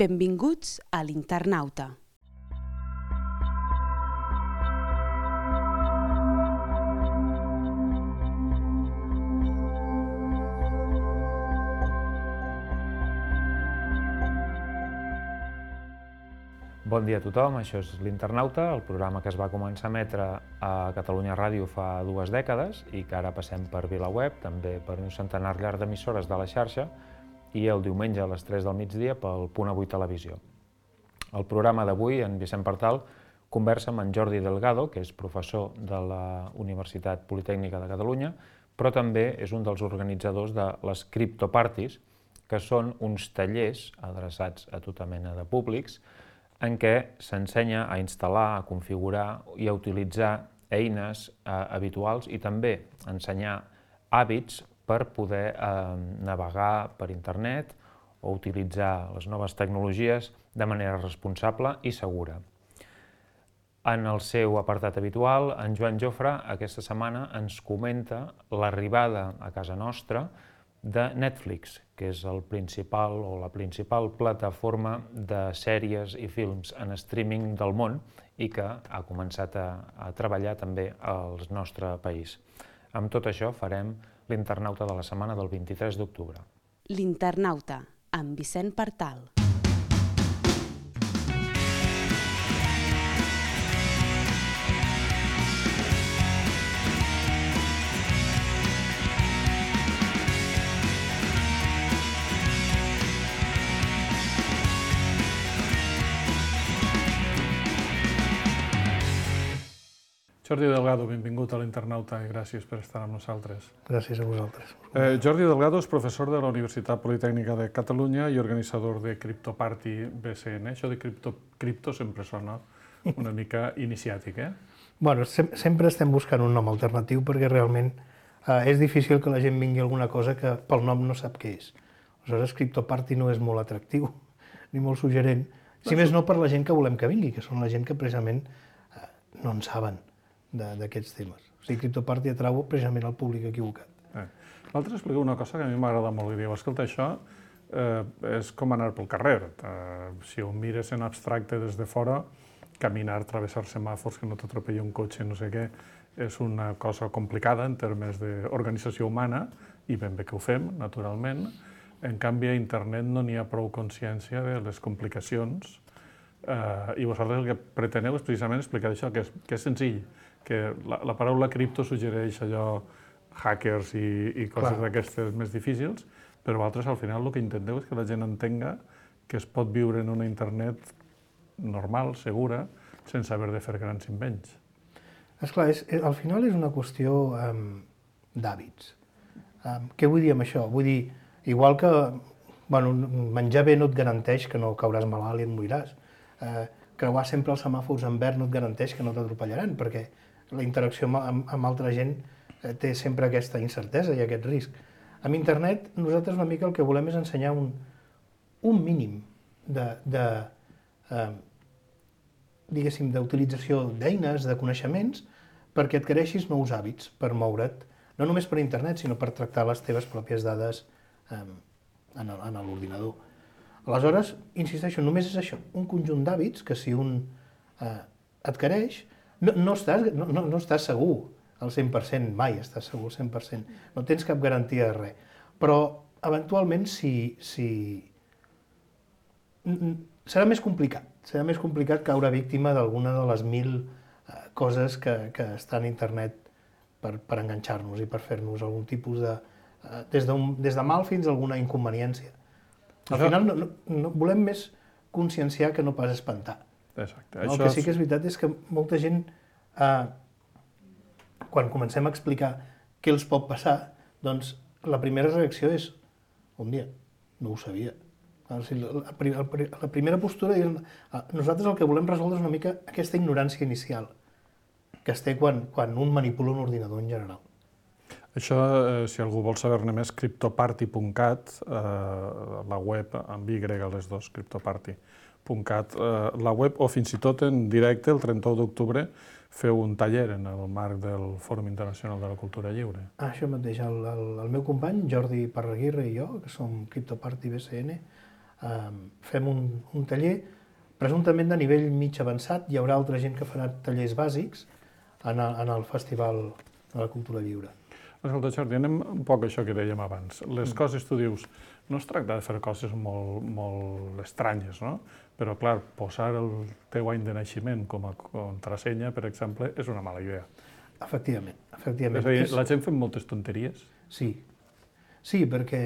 Benvinguts a l'Internauta. Bon dia a tothom, això és l'Internauta, el programa que es va començar a emetre a Catalunya Ràdio fa 2 dècades i que ara passem per VilaWeb, també per un centenar llarg d'emissores de la xarxa i el diumenge a les 3 del migdia pel Punt Avui Televisió. El programa d'avui, en Vicent Partal, conversa amb en Jordi Delgado, que és professor de la Universitat Politècnica de Catalunya, però també és un dels organitzadors de les Criptoparties, que són uns tallers adreçats a tota mena de públics en què s'ensenya a instal·lar, a configurar i a utilitzar eines habituals i també ensenyar hàbits per poder navegar per internet o utilitzar les noves tecnologies de manera responsable i segura. En el seu apartat habitual, en Joan Jofre aquesta setmana ens comenta l'arribada a casa nostra de Netflix, que és la principal plataforma de sèries i films en streaming del món i que ha començat a treballar també al nostre país. Amb tot això farem l'Internauta de la setmana del 23 d'octubre. L'Internauta, amb Vicent Partal. Jordi Delgado, benvingut a l'Internauta i gràcies per estar amb nosaltres. Gràcies a vosaltres. Jordi Delgado és professor de la Universitat Politècnica de Catalunya i organitzador de Criptoparty BCN. Això de cripto sempre sona una mica iniciàtic, eh? Bueno, sempre estem buscant un nom alternatiu perquè realment és difícil que la gent vingui a alguna cosa que pel nom no sap què és. Aleshores, Criptoparty no és molt atractiu ni molt suggerent, si més no per la gent que volem que vingui, que són la gent que precisament no en saben d'aquests temes. O sigui, Criptoparty atrau precisament al públic equivocat. L'altre explica una cosa que a mi m'agrada molt i diu, escolta, això és com anar pel carrer. Si ho mires en abstracte des de fora, caminar, travessar semàfors, que no t'atropelli un cotxe, no sé què, és una cosa complicada en termes d'organització humana i ben bé que ho fem, naturalment. En canvi, a internet no n'hi ha prou consciència de les complicacions i vosaltres el que preteneu és precisament explicar això, que és senzill, que la paraula cripto suggereix allò hackers i coses d'aquestes més difícils, però vosaltres al final el que intenteu és que la gent entenga que es pot viure en una internet normal, segura, sense haver de fer grans invents. Esclar, al final és una qüestió d'hàbits. Què vull dir amb això? Vull dir, igual que menjar bé no et garanteix que no cauràs malalt i et moriràs. Creuar sempre els semàfors en verd no et garanteix que no t'atropellaran, perquè la interacció amb altra gent té sempre aquesta incertesa i aquest risc. Amb internet, nosaltres una mica el que volem és ensenyar un mínim d'utilització d'eines, de coneixements, perquè adquireixis nous hàbits per moure't, no només per internet, sinó per tractar les teves pròpies dades en l'ordinador. Aleshores, insisteixo, només és això, un conjunt d'hàbits que si un adquireix, no estàs segur al 100%, mai estàs segur al 100%, no tens cap garantia de res, però eventualment serà més complicat caure víctima d'alguna de les 1.000 coses que estan a internet per enganxar-nos i per fer-nos algun tipus de... des de mal fins a alguna inconveniència. Al final volem més conscienciar que no pas espantar. Exacte. El que sí que és veritat és que molta gent, quan comencem a explicar què els pot passar, doncs la primera reacció és, dia, no ho sabia. La primera postura és, nosaltres el que volem resoldre és una mica aquesta ignorància inicial que es té quan un manipula un ordinador en general. Això, si algú vol saber-ne més, criptoparty.cat, la web amb Y les dos, criptoparty.cat, la web, o fins i tot en directe, el 31 d'octubre, feu un taller en el marc del Fòrum Internacional de la Cultura Lliure. Això mateix, el meu company, Jordi Parraguirre i jo, que som Criptoparty BCN, fem un taller presumptament de nivell mig avançat. Hi haurà altra gent que farà tallers bàsics en el Festival de la Cultura Lliure. Escolta, Jordi, anem un poc a això que dèiem abans. Les coses, tu dius, no es tracta de fer coses molt estranyes, no? Però, clar, posar el teu any de naixement com a contrasenya, per exemple, és una mala idea. Efectivament. És a dir, la gent fem moltes tonteries? Sí, perquè,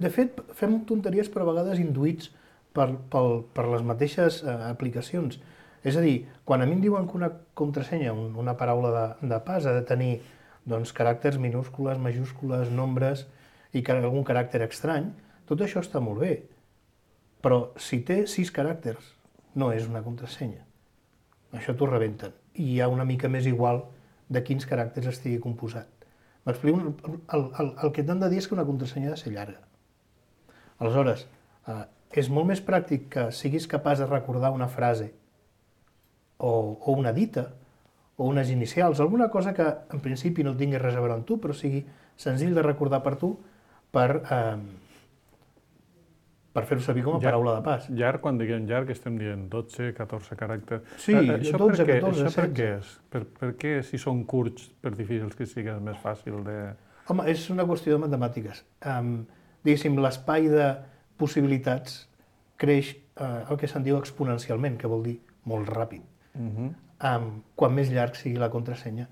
de fet, fem tonteries però a vegades induïts per les mateixes aplicacions. És a dir, quan a mi em diuen que una contrasenya, una paraula de pas, ha de tenir caràcters minúscules, majúscules, nombres i algun caràcter estrany, tot això està molt bé. Però si té 6 caràcters, no és una contrasenya. Això t'ho rebenten. I hi ha una mica més igual de quins caràcters estigui composat. M'explico? El que t'han de dir és que una contrasenya ha de ser llarga. Aleshores, és molt més pràctic que siguis capaç de recordar una frase o una dita, o unes inicials, alguna cosa que en principi no tingui res a veure amb tu, però sigui senzill de recordar per tu per fer-ho servir com a paraula de pas. Llarg, quan diguem llarg, estem dient 12, 14 caràcters. Sí, 12, 14, 16. Per què és? Per què, si són curts, per difícils que sigui més fàcil de... Home, és una qüestió de matemàtiques. Diguéssim, l'espai de possibilitats creix el que se'n diu exponencialment, que vol dir molt ràpid. Quan més llarg sigui la contrasenya.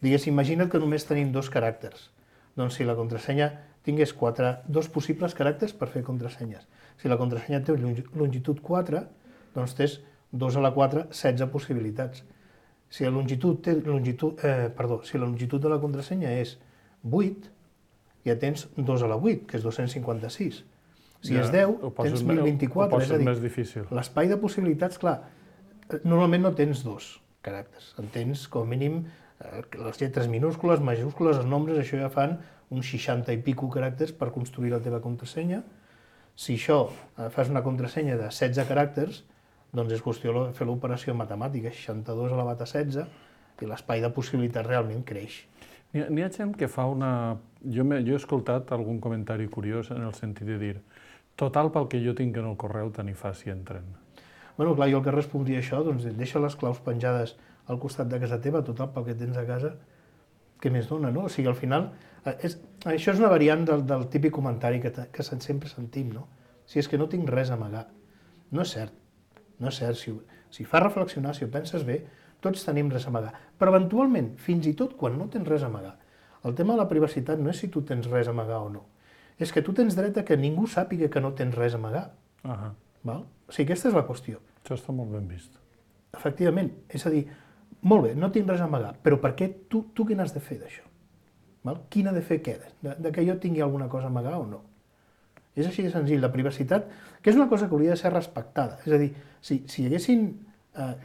Diguéssim, imagina't que només tenim 2 caràcters. Doncs si la contrasenya tingués 2 possibles caràcters per fer contrasenyes. Si la contrasenya té longitud 4, doncs tens 2 a la 4, 16 possibilitats. Si la longitud de la contrasenya és 8, ja tens 2 a la 8, que és 256. Si és 10, tens 1024, és a dir, l'espai de possibilitats, clar, normalment no tens 2 caràcters, en tens com a mínim les lletres minúscules, majúscules, els nombres, això ja fan uns 60 i pico caràcters per construir la teva contrasenya. Si això fas una contrasenya de 16 caràcters, doncs és qüestió de fer l'operació matemàtica, 62 elevat a 16, i l'espai de possibilitats realment creix. N'hi ha gent que fa una... Jo he escoltat algun comentari curiós en el sentit de dir total pel que jo tinc en el correu tant hi fa si entren. Bueno, clar, jo el que respondria a això, doncs deixa les claus penjades al costat de casa teva, total pel que tens a casa, què més dona, no? O sigui, al final, això és una variant del típic comentari que sempre sentim, no? Si és que no tinc res a amagar. No és cert, no és cert. Si fa reflexionar, si ho penses bé, tots tenim res a amagar. Però eventualment, fins i tot quan no tens res a amagar, el tema de la privacitat no és si tu tens res a amagar o no, és que tu tens dret a que ningú sàpiga que no tens res a amagar. Val? O sigui, aquesta és la qüestió. Això està molt ben vist. Efectivament, és a dir, molt bé, no tinc res a amagar, però per què tu què n'has de fer d'això? Qui n'ha de fer què? De que jo tingui alguna cosa a amagar o no? És així de senzill, la privacitat, que és una cosa que hauria de ser respectada. És a dir, si hi haguessin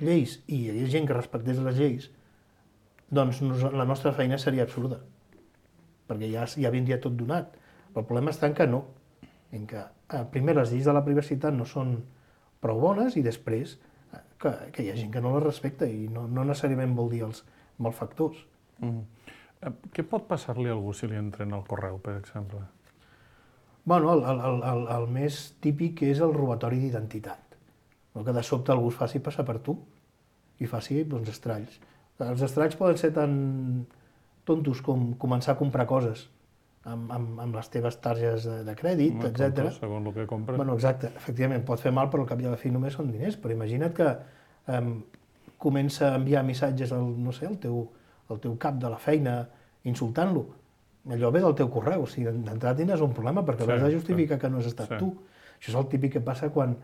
lleis i hi hagués gent que respectés les lleis, doncs la nostra feina seria absurda, perquè ja vindria tot donat. Però el problema està en que no, en que primer les lleis de la privacitat no són prou bones i després que hi ha gent que no les respecta i no necessàriament vol dir els malfactors. Què pot passar-li a algú si li entren al correu, per exemple? Bueno, el més típic és el robatori d'identitat. Que de sobte algú es faci passar per tu i faci estralls. Els estralls poden ser tan tontos com començar a comprar coses amb les teves targes de crèdit, etc. Segons el que compres. Bueno, exacte, efectivament, pot fer mal, però al cap i a la fi només són diners. Però imagina't que comença a enviar missatges al teu cap de la feina, insultant-lo. Allò ve del teu correu, o sigui, d'entrada tindràs un problema perquè has de justificar que no has estat tu. Això és el típic que passa quan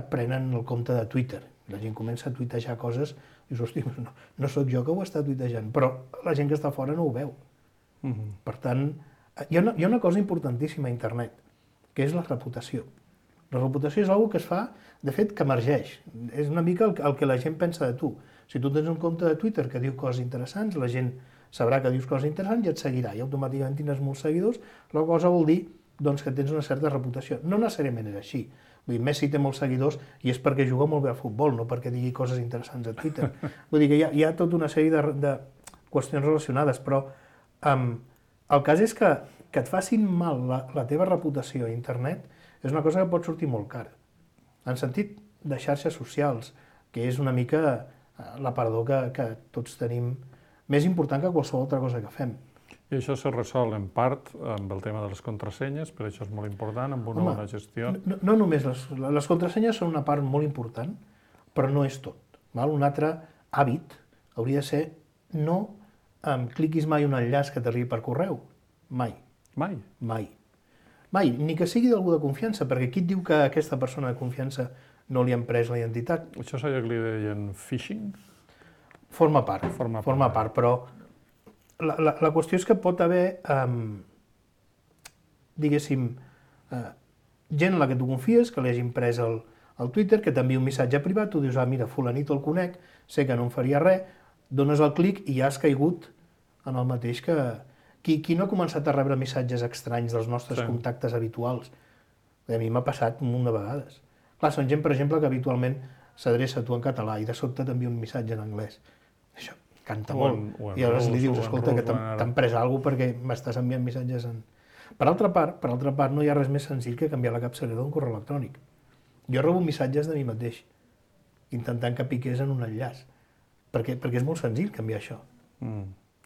prenen el compte de Twitter. La gent comença a tuitejar coses i dius, hosti, no sóc jo que ho està tuitejant, però la gent que està fora no ho veu. Per tant, hi ha una cosa importantíssima a internet, que és la reputació. La reputació és una que es fa, de fet, que emergeix. És una mica el que la gent pensa de tu. Si tu tens un compte de Twitter que diu coses interessants, la gent sabrà que dius coses interessants i et seguirà, i automàticament tindràs molts seguidors, la cosa vol dir que tens una certa reputació. No necessàriament és així. Vull dir, Messi té molts seguidors i és perquè juga molt bé a futbol, no perquè digui coses interessants a Twitter. Vull dir que hi ha tota una sèrie de qüestions relacionades, però el cas és que que et facin mal la teva reputació a internet és una cosa que pot sortir molt cara. En sentit de xarxes socials, que és una mica l'aparador que tots tenim més important que qualsevol altra cosa que fem. I això se resol en part amb el tema de les contrasenyes, per això és molt important, amb una bona gestió. No només les contrasenyes són una part molt important, però no és tot. Un altre hàbit hauria de ser no cliquis mai un enllaç que t'arribi per correu. Mai. Mai? Mai. Mai, ni que sigui d'algú de confiança, perquè qui et diu que aquesta persona de confiança no li han pres la identitat? Això és allò que li deien phishing? Forma part, però la qüestió és que pot haver, diguéssim, gent a la que tu confies, que li hagin pres el Twitter, que t'envia un missatge privat, tu dius, mira, fulanito el conec, sé que no em faria res, dones el clic i ja has caigut en el mateix que... Qui no ha començat a rebre missatges estranys dels nostres contactes habituals? A mi m'ha passat un munt de vegades. Clar, són gent, per exemple, que habitualment s'adreça a tu en català i de sobte t'envia un missatge en anglès. Això canta molt. I aleshores li dius, escolta, que t'han pres alguna cosa perquè m'estàs enviant missatges en... Per altra part, no hi ha res més senzill que canviar la capçalera d'un correu electrònic. Jo rebo missatges de mi mateix, intentant que piqués en un enllaç, perquè és molt senzill canviar això.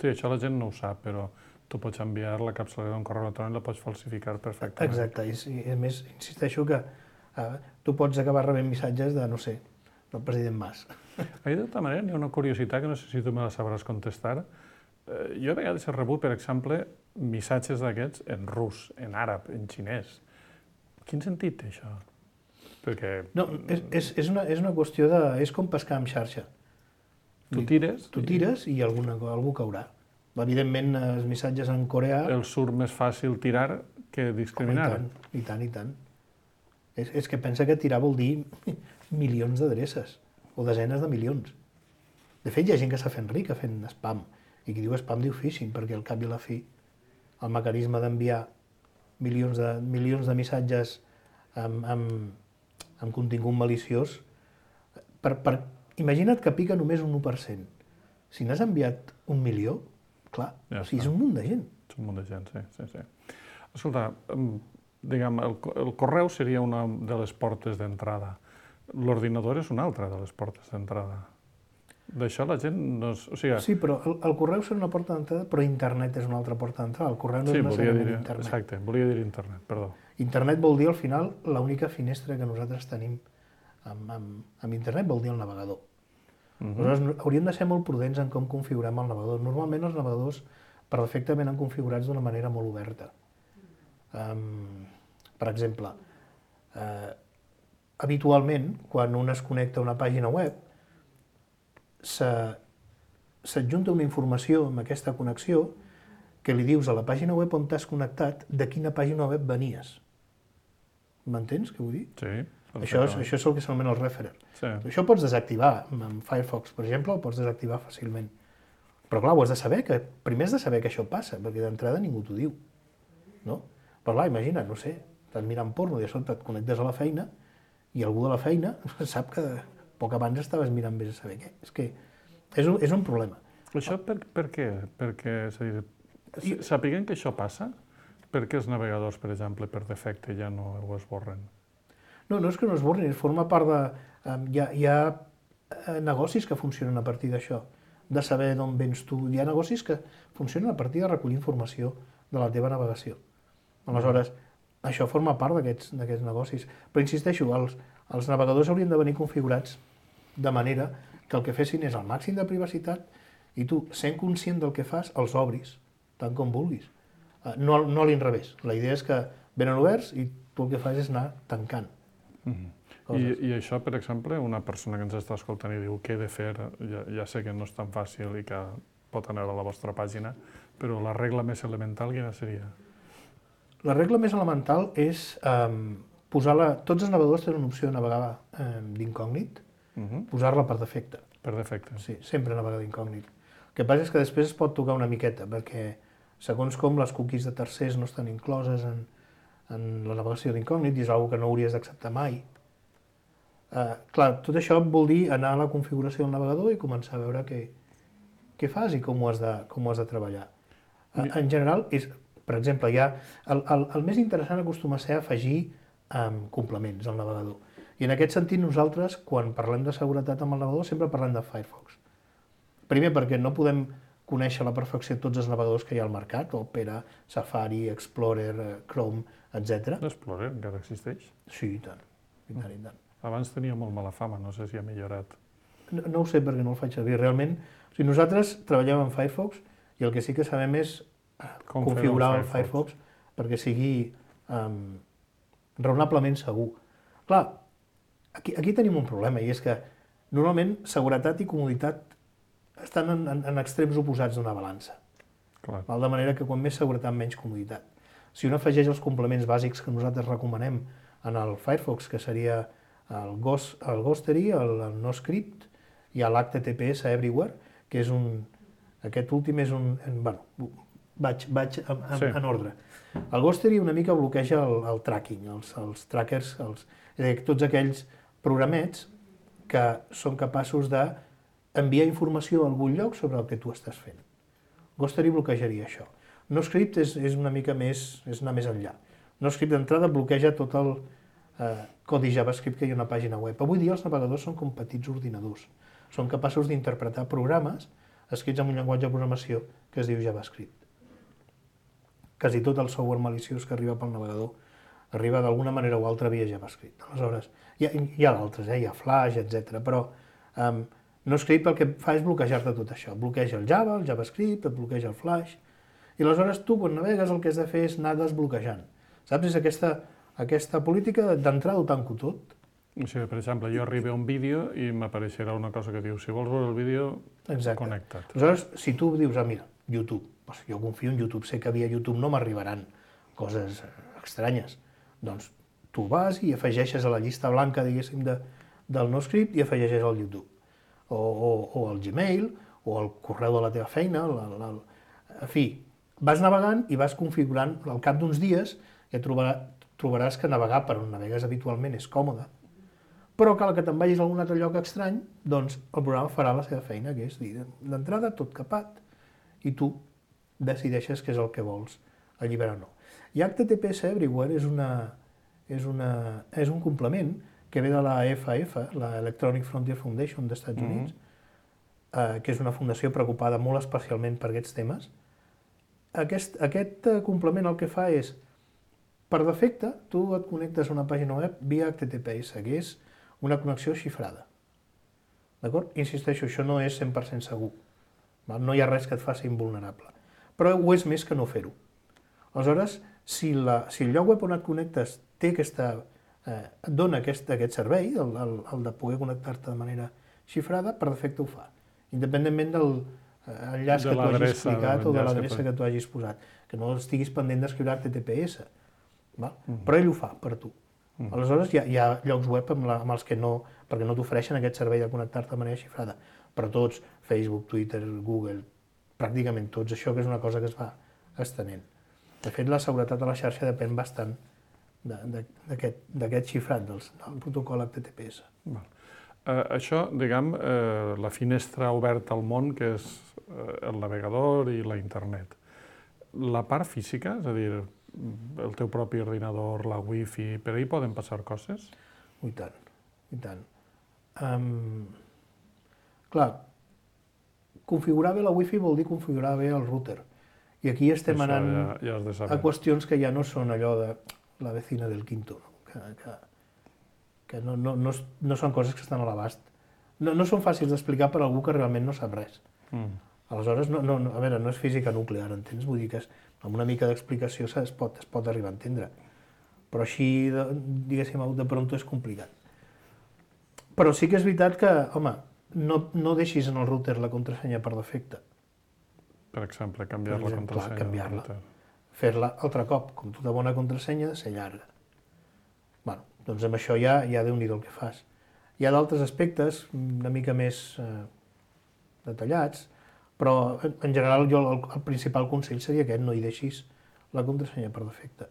Sí, això la gent no ho sap, però tu pots enviar la capçalera d'un correu electrònic i la pots falsificar perfectament. Exacte, i a més, insisteixo que tu pots acabar rebent missatges de, no sé, del president Mas. De tota manera, hi ha una curiositat que no sé si tu me la sabràs contestar. Jo a vegades he rebut, per exemple, missatges d'aquests en rus, en àrab, en xinès. Quin sentit té això? Perquè... No, és una qüestió de... és com pescar amb xarxa. Tu tires i algú caurà. Evidentment, els missatges en coreà... El surt més fàcil tirar que discriminar. I tant. És que pensa que tirar vol dir milions d'adreces, o desenes de milions. De fet, hi ha gent que s'ha fet rica fent spam, i qui diu spam diu phishing, perquè al cap i a la fi el mecanisme d'enviar milions de missatges amb contingut maliciós... Imagina't que pica només un 1%. Si n'has enviat 1 milió, clar, és un munt de gent. És un munt de gent, sí. Escolta, diguem, el correu seria una de les portes d'entrada. L'ordinador és una altra de les portes d'entrada. D'això la gent no... Sí, però el correu serà una porta d'entrada, però internet és una altra porta d'entrada. El correu no és necessàriament internet. Exacte, volia dir internet, perdó. Internet vol dir, al final, l'única finestra que nosaltres tenim amb internet vol dir el navegador. Aleshores, hauríem de ser molt prudents en com configurem el navegador. Normalment els navegadors per defecte venen configurats d'una manera molt oberta. Per exemple, habitualment, quan un es connecta a una pàgina web, s'adjunta una informació amb aquesta connexió que li dius a la pàgina web on t'has connectat de quina pàgina web venies. M'entens què vull dir? Sí. Això és el que s'anomena el referer. Sí. Això ho pots desactivar amb Firefox, per exemple, ho pots desactivar fàcilment. Però clar, ho has de saber, primer has de saber que això passa, perquè d'entrada ningú t'ho diu. No? Però clar, imagina't, no sé, estàs mirant porno i de sobte et connectes a la feina i algú de la feina sap que poc abans estaves mirant vés a saber què. És que és un problema. Això per què? Perquè, sapiguem que això passa, per què els navegadors, per exemple, per defecte ja no ho esborren? No és que no es borrin, forma part de... Hi ha negocis que funcionen a partir d'això, de saber d'on vens tu. Hi ha negocis que funcionen a partir de recollir informació de la teva navegació. Aleshores, això forma part d'aquests negocis. Però insisteixo, els navegadors haurien de venir configurats de manera que el que fessin és el màxim de privacitat i tu, sent conscient del que fas, els obris, tant com vulguis. No a l'inrevés. La idea és que venen oberts i tu el que fas és anar tancant. I això, per exemple, una persona que ens està escoltant i diu què he de fer, ja sé que no és tan fàcil i que pot anar a la vostra pàgina, però la regla més elemental quina seria? La regla més elemental és posar-la... Tots els navegadors tenen una opció de navegar d'incògnit, posar-la per defecte. Per defecte. Sí, sempre navegar d'incògnit. El que passa és que després es pot tocar una miqueta, perquè segons com les cookies de tercers no estan incloses en la navegació d'incògnit i és una cosa que no hauries d'acceptar mai. Clar, tot això vol dir anar a la configuració del navegador i començar a veure què fas i com ho has de treballar. En general, Per exemple, el més interessant acostuma a ser afegir complements al navegador. I en aquest sentit nosaltres, quan parlem de seguretat amb el navegador, sempre parlem de Firefox. Primer perquè no podem conèixer a la perfecció tots els navegadors que hi ha al mercat, Opera, Safari, Explorer, Chrome, etc. L'Explorer encara existeix? Sí, i tant. I tant, i tant. Abans tenia molt mala fama, no sé si ha millorat. No ho sé perquè no el faig servir. Realment, o sigui, nosaltres treballem amb Firefox i el que sí que sabem és configurar el Firefox perquè sigui raonablement segur. Clar, aquí tenim un problema i és que normalment seguretat i comoditat estan en extrems oposats d'una balança. Clar. De manera que quan més seguretat, menys comoditat. Si un afegeix els complements bàsics que nosaltres recomanem en el Firefox, que seria el Ghostery, el NoScript i l'HTTPS Everywhere, que és aquest últim és bueno, vaig en ordre. El Ghostery una mica bloqueja el tracking, els trackers, és a dir, tots aquells programets que són capaços d'enviar informació a algun lloc sobre el que tu estàs fent. Ghostery bloquejaria això. NoScript és una mica més, és anar més enllà. NoScript d'entrada bloqueja tot el codi JavaScript que hi ha a una pàgina web. Avui dia els navegadors són com petits ordinadors. Són capaços d'interpretar programes escrits en un llenguatge de programació que es diu JavaScript. Quasi tot el software maliciós que arriba pel navegador arriba d'alguna manera o altra via JavaScript. Aleshores, hi ha d'altres, hi ha Flash, etc. Però NoScript el que fa és bloquejar-te tot això. Bloqueja el Java, el JavaScript, et bloqueja el Flash. I aleshores tu, quan navegues, el que has de fer és anar desbloquejant. Saps? És aquesta política d'entrada ho tanco tot. O sigui, per exemple, jo arribo a un vídeo i m'apareixerà una cosa que diu si vols veure el vídeo, connecta't. Aleshores, si tu dius, mira, YouTube, jo confio en YouTube, sé que via YouTube no m'arribaran coses estranyes, doncs tu vas i afegeixes a la llista blanca, diguéssim, del NoScript i afegeixes el YouTube, o el Gmail, o el correu de la teva feina, en fi, vas navegant i vas configurant, al cap d'uns dies ja trobaràs que navegar per on navegues habitualment és còmode, però cal que te'n vagis a algun altre lloc estrany, doncs el programa farà la seva feina, que és dir, d'entrada tot capat, i tu decideixes què és el que vols alliberar o no. I HTTPS Everywhere és un complement que ve de la FAF, la Electronic Frontier Foundation dels Estats Units, que és una fundació preocupada molt especialment per aquests temes. Aquest complement el que fa és, per defecte, tu et connectes a una pàgina web via HTTPS, que és una connexió xifrada. D'acord? Insisteixo, això no és 100% segur. No hi ha res que et faci invulnerable. Però ho és més que no fer-ho. Aleshores, si el lloc web on et connectes et dona aquest servei, el de poder connectar-te de manera xifrada, per defecte ho fa. Independentment del enllaç que tu hagis explicat o de l'adreça que tu hagis posat. Que no estiguis pendent d'escriure HTTPS. Però ell ho fa per tu. Aleshores hi ha llocs web amb els que no, perquè no t'ofereixen aquest servei de connectar-te de manera xifrada. Però tots, Facebook, Twitter, Google, pràcticament tots, això que és una cosa que es va estenent. De fet, la seguretat de la xarxa depèn bastant d'aquest xifrat del protocol HTTPS. Això, diguem, la finestra oberta al món, que és el navegador i la internet. La part física, és a dir, el teu propi ordinador, la wifi, per ahí poden passar coses? I tant, i tant. Clar, configurar bé la wifi vol dir configurar bé el router. I aquí estem anant a qüestions que ja no són allò de la vecina del quinto, que no són coses que estan a l'abast. No són fàcils d'explicar per a algú que realment no sap res. Aleshores, a veure, no és física nuclear, entens? Vull dir que amb una mica d'explicació es pot arribar a entendre. Però així, diguéssim, de pronto és complicat. Però sí que és veritat que, home, no deixis en el router la contrasenya per defecte. Per exemple, canviar la contrasenya. Canviar-la. Fer-la altre cop, com tota bona contrasenya, de ser llarga. Bé, doncs amb això ja déu-n'hi-do el que fas. Hi ha d'altres aspectes una mica més detallats, però en general el principal consell seria aquest, no hi deixis la contrasenya per defecte.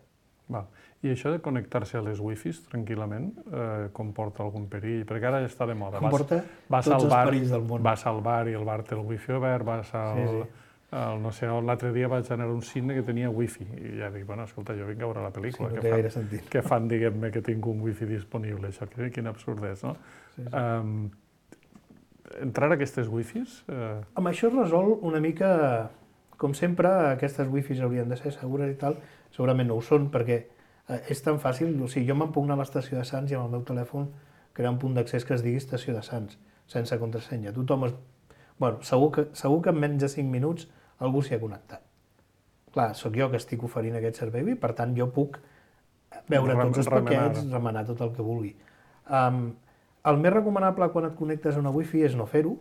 I això de connectar-se a les wifis tranquil·lament comporta algun perill? Perquè ara ja està de moda. Comporta tots els perills del món. Vas al bar i el bar té el wifi obert, vas al No sé, l'altre dia vaig anar a un cine que tenia wifi i ja dic, bueno, escolta, jo vinc a veure la pel·lícula. Sí, no té gaire sentit. Què fan, diguem-ne, que tinc un wifi disponible? Això, quin absurd és, no? Sí. Entrar a aquestes wifis... Amb això es resol una mica, com sempre, aquestes wifis haurien de ser segures i tal, segurament no ho són, perquè és tan fàcil, o sigui, jo me'n puc anar a l'estació de Sants i amb el meu telèfon crear un punt d'accés que es digui estació de Sants, sense contrasenya. Tothom Bueno, segur que en menys de 5 minuts algú s'hi ha connectat. Clar, sóc jo que estic oferint aquest servei i, per tant, jo puc veure tots els paquets, remenar tot el que vulgui. El més recomanable quan et connectes a una wifi és no fer-ho,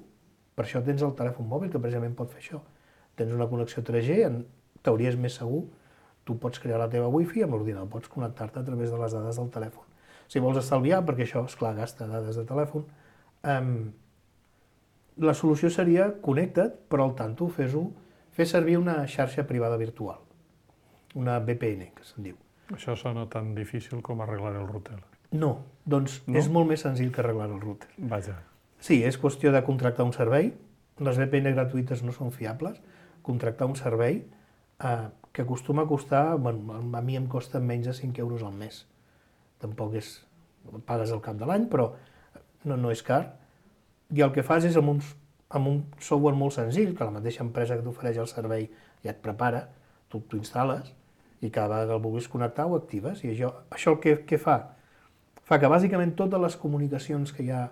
per això tens el telèfon mòbil, que precisament pot fer això. Tens una connexió 3G, en teoria és més segur, tu pots crear la teva wifi amb l'ordinador, pots connectar-te a través de les dades del telèfon. Si vols estalviar, perquè això, esclar, gasta dades de telèfon, la solució seria connecta't, però al tanto fes servir una xarxa privada virtual, una VPN, que se'n diu. Això sona tan difícil com arreglar el router. No, doncs no? És molt més senzill que arreglar el router. Vaja. Sí, és qüestió de contractar un servei, les VPN gratuïtes no són fiables, contractar un servei que acostuma a costar, bueno, a mi em costa menys de 5 euros al mes. Tampoc és, pagues al cap de l'any, però no és car. I el que fas és amb un software molt senzill, que la mateixa empresa que t'ofereix el servei ja et prepara, tu t'ho instal·les i cada vegada que el vulguis connectar ho actives. I això el que fa? Fa que bàsicament totes les comunicacions que hi ha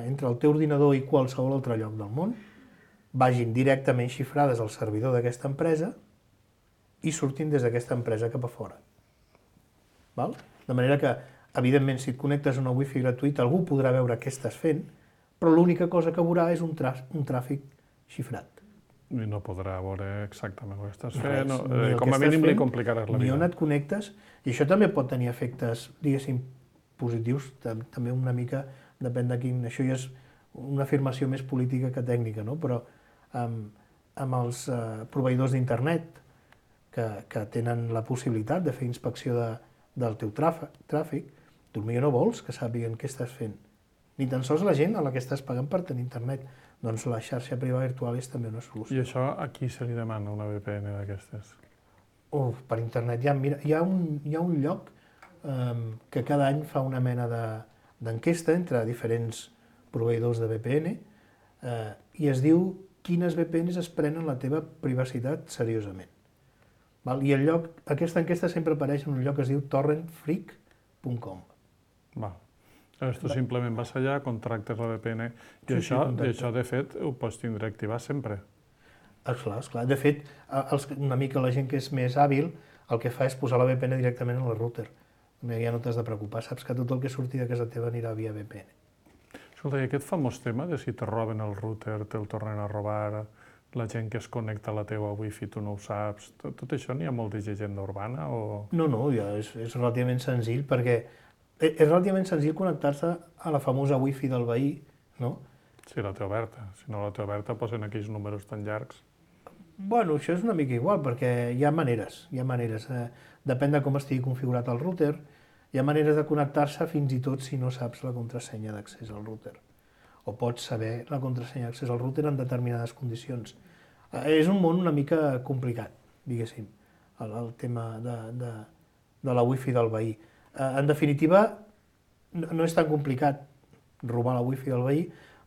entre el teu ordinador i qualsevol altre lloc del món vagin directament xifrades al servidor d'aquesta empresa i surtin des d'aquesta empresa cap a fora. Val? De manera que, evidentment, si et connectes a una wifi gratuïta, algú podrà veure què estàs fent, però l'única cosa que veurà és un tràfic xifrat. I no podrà veure exactament el que estàs fent, com a mínim li complicaràs la vida. Ni on et connectes, i això també pot tenir efectes, diguéssim, positius, també una mica, depèn de quin... Això ja és una afirmació més política que tècnica, no? Però amb els proveïdors d'internet que tenen la possibilitat de fer inspecció del teu tràfic, tu potser no vols que sàpiguen què estàs fent. Ni tan sols la gent a la que estàs pagant per tenir internet. Doncs la xarxa privada virtual és també una solució. I això a qui se li demana una VPN d'aquestes? Per internet hi ha un lloc que cada any fa una mena d'enquesta entre diferents proveïdors de VPN i es diu quines VPNs es prenen la teva privacitat seriosament. I aquesta enquesta sempre apareix en un lloc que es diu torrentfreak.com. Tu simplement vas allà, contractes la VPN i això, de fet, ho pots tindre activat sempre. Esclar. De fet, una mica la gent que és més hàbil el que fa és posar la VPN directament en el router. Ja no t'has de preocupar, saps que tot el que surti de casa teva anirà via VPN. Escolta, i aquest famós tema de si te roben el router, te'l tornen a robar, la gent que es connecta a la teva wifi, tu no ho saps, tot això n'hi ha molta llegenda urbana o...? No, ja és relativament senzill perquè és relativament senzill connectar-se a la famosa wifi del veí, no? Sí, la té oberta. Si no la té oberta, posen aquells números tan llargs. Bueno, això és una mica igual, perquè hi ha maneres. Depèn de com estigui configurat el router, hi ha maneres de connectar-se fins i tot si no saps la contrasenya d'accés al router. O pots saber la contrasenya d'accés al router en determinades condicions. És un món una mica complicat, diguéssim, el tema de la wifi del veí. En definitiva, no és tan complicat robar la wifi del veí,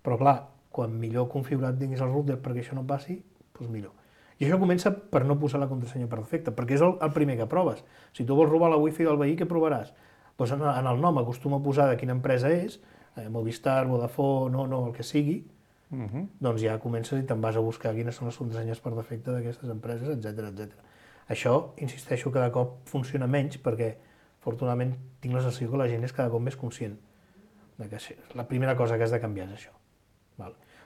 però clar, quan millor configurat tinguis el router perquè això no passi, doncs millor. I això comença per no posar la contrasenya per defecte, perquè és el primer que proves. Si tu vols robar la wifi del veí, què provaràs? Doncs en el nom acostuma a posar de quina empresa és, Movistar, Vodafone, no, el que sigui, doncs ja comences i te'n vas a buscar quines són les contrasenyes per defecte d'aquestes empreses, etc. Això, insisteixo, cada cop funciona menys perquè afortunadament tinc la sensació que la gent és cada cop més conscient que la primera cosa que has de canviar és això.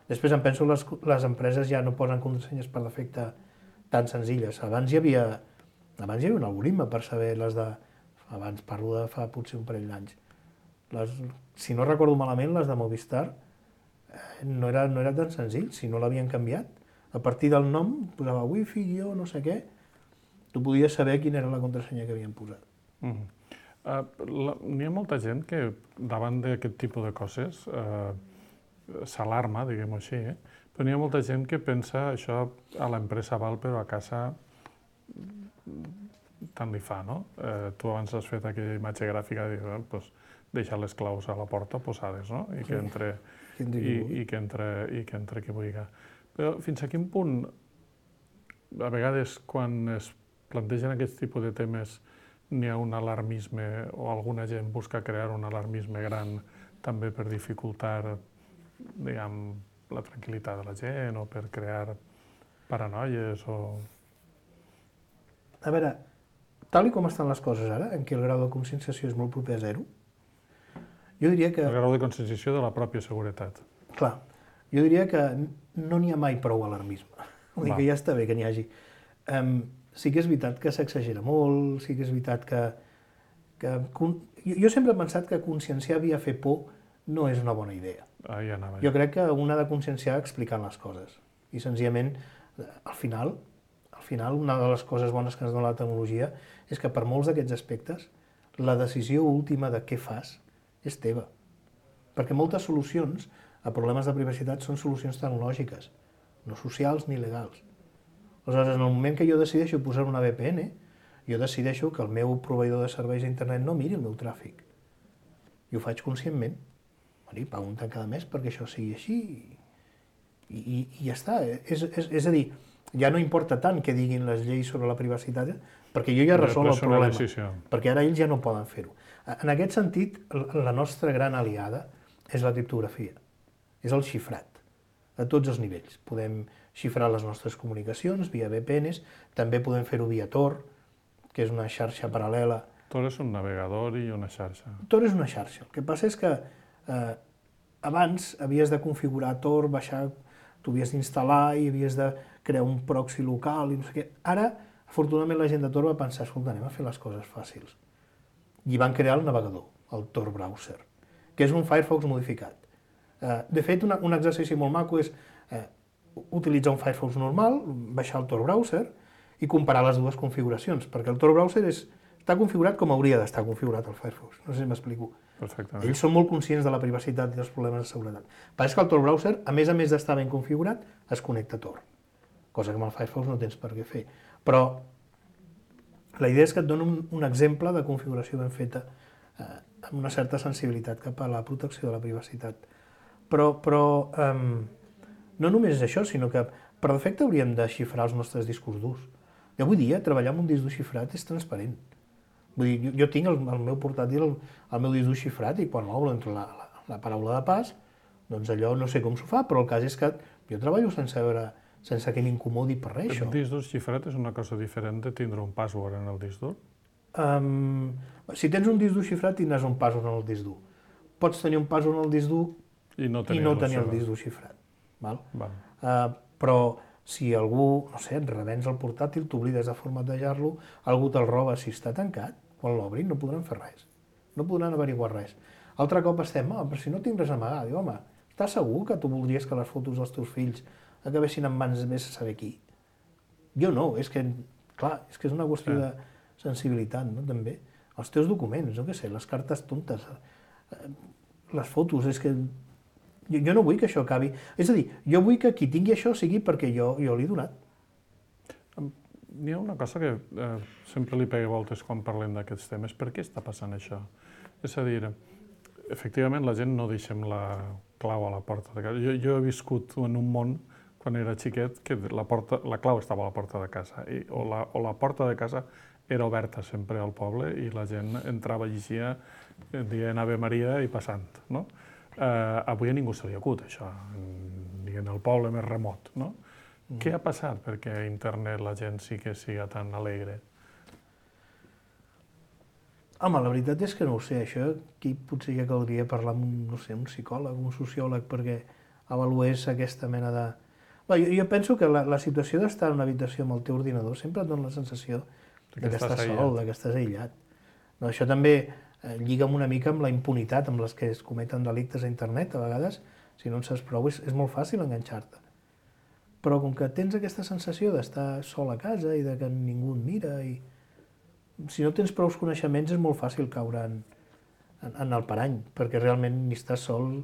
Després em penso que les empreses ja no posen contrasenyes per defecte tan senzilles. Abans hi havia un algoritme per saber les de... Abans parlo de fa potser un parell d'anys. Si no recordo malament, les de Movistar no era tan senzill, si no l'havien canviat. A partir del nom posava wifi, no sé què, tu podies saber quina era la contrasenya que havien posat. N'hi ha molta gent que davant d'aquest tipus de coses s'alarma, diguem-ho així, però n'hi ha molta gent que pensa això a l'empresa val, però a casa tant li fa, no? Tu abans has fet aquella imatge gràfica de dir, doncs, deixa les claus a la porta posades, no? I que entre qui vulgui. Però fins a quin punt, a vegades, quan es plantegen aquest tipus de temes, n'hi ha un alarmisme o alguna gent busca crear un alarmisme gran també per dificultar, diguem, la tranquil·litat de la gent o per crear paranoies o... A veure, tal com estan les coses ara, en què el grau de conscienciació és molt proper a zero, jo diria que... El grau de conscienciació de la pròpia seguretat. Clar, jo diria que no n'hi ha mai prou alarmisme. Vull dir que ja està bé que n'hi hagi. Sí que és veritat que s'exagera molt, sí que és veritat que... Jo sempre he pensat que conscienciar via fer por no és una bona idea. Ja anava. Jo crec que un ha de conscienciar explicant les coses. I senzillament, al final, una de les coses bones que ens dona la tecnologia és que per molts d'aquests aspectes, la decisió última de què fas és teva. Perquè moltes solucions a problemes de privacitat són solucions tecnològiques, no socials ni legals. Aleshores, en el moment que jo decideixo posar una VPN, jo decideixo que el meu proveïdor de serveis d'internet no miri el meu tràfic. I ho faig conscientment. Pago un tant cada mes perquè això sigui així i ja està. És a dir, ja no importa tant què diguin les lleis sobre la privacitat, perquè jo ja resol el problema, perquè ara ells ja no poden fer-ho. En aquest sentit, la nostra gran aliada és la criptografia, és el xifrat, a tots els nivells. Podem xifrar les nostres comunicacions via VPNs, també podem fer-ho via Tor, que és una xarxa paral·lela. Tor és un navegador i una xarxa. Tor és una xarxa. El que passa és que abans havies de configurar Tor, baixar, tu havies d'instal·lar i havies de crear un proxy local i no sé què. Ara, afortunadament, la gent de Tor va pensar, escolta, anem a fer les coses fàcils. I van crear el navegador, el Tor Browser, que és un Firefox modificat. De fet, un exercici molt maco és utilitzar un Firefox normal, baixar el Tor Browser i comparar les dues configuracions, perquè el Tor Browser està configurat com hauria d'estar configurat el Firefox. No sé si m'explico. Perfectament. Ells són molt conscients de la privacitat i dels problemes de seguretat. Pareix que el Tor Browser, a més d'estar ben configurat, es connecta a Tor, cosa que amb el Firefox no tens per què fer. Però la idea és que et dono un exemple de configuració ben feta amb una certa sensibilitat cap a la protecció de la privacitat. Però no només és això, sinó que per defecte hauríem de xifrar els nostres discos durs. I avui dia treballar amb un disc dur xifrat és transparent. Vull dir, jo tinc el meu portàtil, el meu disc dur xifrat i quan l'obro entre la paraula de pas, doncs allò no sé com s'ho fa, però el cas és que jo treballo sense que m'incomodi per res, això. El disc dur xifrat és una cosa diferent de tindre un password en el disc dur? Si tens un disc dur xifrat, tindràs un password en el disc dur. Pots tenir un password en el disc dur i no tenir el disc dur xifrat. Però si algú, no sé, et revens el portàtil, t'oblides de formatejar-lo, algú te'l roba, si està tancat, quan l'obrin no podran fer res, no podran averiguar res. Altre cop estem, però si no tinc res a amagar, diu, home, estàs segur que tu voldries que les fotos dels teus fills acabessin en mans de vés a saber qui? Jo no, és que, clar, és una qüestió de sensibilitat, no?, també. Els teus documents, no què sé, les cartes tontes, les fotos, és que jo no vull que això acabi. És a dir, jo vull que qui tingui això sigui perquè jo l'he donat. N'hi ha una cosa que sempre li pega voltes quan parlem d'aquests temes. Per què està passant això? És a dir, efectivament la gent no deixem la clau a la porta de casa. Jo he viscut en un món, quan era xiquet, que la clau estava a la porta de casa, o la porta de casa era oberta sempre al poble i la gent entrava, llegia, dient Ave Maria i passant, no? Avui a ningú se li acut, això, ni en el poble més remot, no? Què ha passat perquè a internet la gent sí que siga tan alegre? Home, la veritat és que no ho sé, això aquí potser ja caldria parlar amb un psicòleg, un sociòleg, perquè avalués aquesta mena de... Jo penso que la situació d'estar en una habitació amb el teu ordinador sempre et dona la sensació que estàs sol, que estàs aïllat. Això també lliga una mica amb la impunitat amb les que es cometen delictes a internet, a vegades, si no en saps prou, és molt fàcil enganxar-te. Però com que tens aquesta sensació d'estar sol a casa i de que ningú et mira, i si no tens prou coneixements és molt fàcil caure en el parany, perquè realment ni estàs sol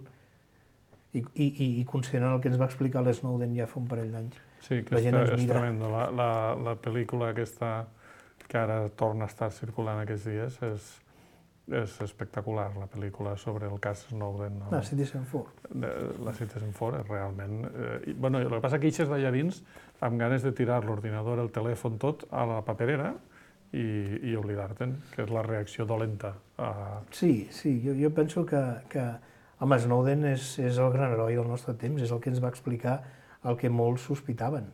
I considerant el que ens va explicar l'Snowden ja fa un parell d'anys. Sí, que és tremendo. La pel·lícula aquesta que ara torna a estar circulant aquests dies és espectacular, la pel·lícula sobre el cas Snowden. La Citizen4. La Citizen4 és realment... El que passa que eixes d'allà dins amb ganes de tirar l'ordinador, el telèfon, tot a la paperera i oblidar-te'n, que és la reacció dolenta. Sí, jo penso que home, Snowden és el gran heroi del nostre temps, és el que ens va explicar el que molts sospitaven.